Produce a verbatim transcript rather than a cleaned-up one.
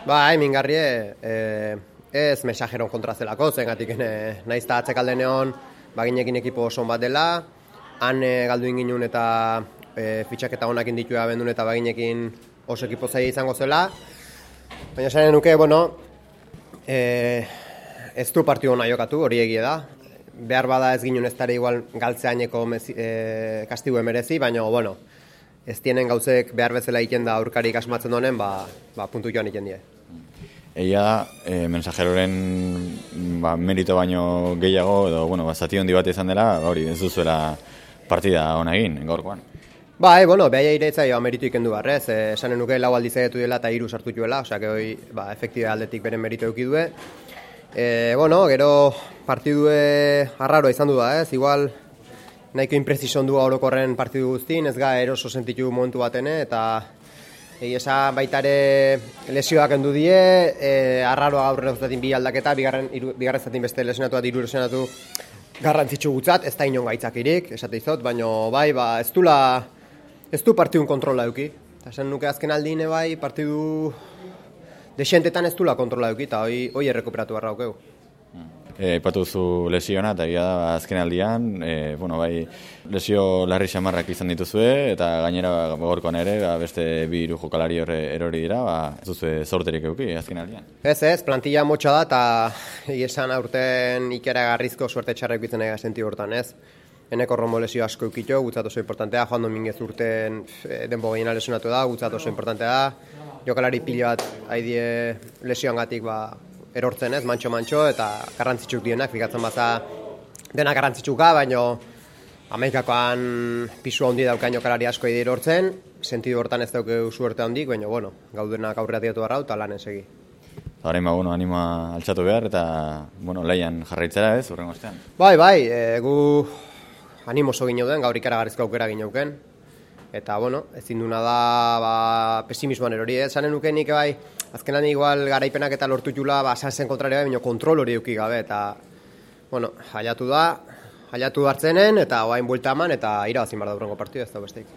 Ba, mingarri, e, ez mesajeron kontra zelako, zengatik e, naiz eta atzekalde neon, baginekin ekipo oso bat dela, han e, galdu inginun eta e, fitxaketa honak inditua bendun eta baginekin oso ekipo zaila izango zela. Baina esanen nuke, bueno, e, ez du partio hona jokatu, hori egie da. Behar bada ez ginen ez dara igual galtzeaineko e, kastigu emerezi, baina, bueno, ez tienen gauzek behar bezala egiten da aurkarik asmatzen donen, ba, ba puntu joan egiten die. Egia da, e, mensajeroren ba, merito baino gehiago, edo, bueno, ba, zati hondi bat izan dela, hori ez duzuela partida hona egin, gaurkoan. Ba, e, bueno, behai aireetza jo meritu ikendu barrez, e, esanen nuke lau aldiz egetu dela eta hiru sartu juela, osea, que hoi, ba, efektibe aldetik beren meritu euki due. E, bueno, gero partidue arraroa izan du da, ez, igual nahiko impresizon du orokorren partidu guztin, ez ga eroso sentitu momentu batene, eta egia esan baitare lesioak endu die, e, arraroa gaur zatin bi aldaketa, bigarren, iru, bigarren zatin beste lesionatu bat, iru lesionatu garrantzitsu gutzat, ez da inon gaitzakirik, esate izot, baina bai, ba, ez dula, ez du partidun kontrola euki. Eta esan nuke azken aldine bai, partidu desentetan ez dula kontrola euki, eta hoi, hoi errekuperatu barra aukeu. Aipatu zu lesiona, eta egia da azken aldian, e, bueno, bai, lesio larri xamarrak izan dituzue, eta gainera gaurkoan ere, ba, beste bi hiru jokalari horre erori dira, ba, ez duzue zorterik euki azken aldian. Ez ez, plantilla motxa da, eta esan aurten ikera garrizko suerte txarrek bitzen ega senti hortan, ez? Eneko Romo lesio asko eukito, gutzat oso importantea, Juan Dominguez urten denbo gehiena lesionatu da, gutzat oso importantea da, jokalari pila bat haidie lesioangatik ba, erortzen ez, mantxo-mantxo, eta garrantzitsuk dienak, fikatzen baza dena garrantzitsuka, baino Amerikakoan pisu handi daukain jokalari asko haidie erortzen, sentidu hortan ez dauke suerte handik, baina, bueno, gaudenak aurrera diatu barrau, eta lanen segi. Horrein, ba, bueno, anima altxatu behar, eta, bueno, laian jarraitzera ez, urrengo ostean. Bai, bai, e, gu animo oso ginen gaur ikaragarrizko aukera gineuken, eta, bueno, ezin duna da, ba, pesimismoan erori, ez, zanen nukenik, bai, azkenan igual garaipenak eta lortu jula, ba, sanzen kontraria, baina kontrol hori euki gabe, eta, bueno, jaiatu da, jaiatu hartzenen, eta oain buelta eman, eta irabazin bar da urrengo partida, ez da besteik.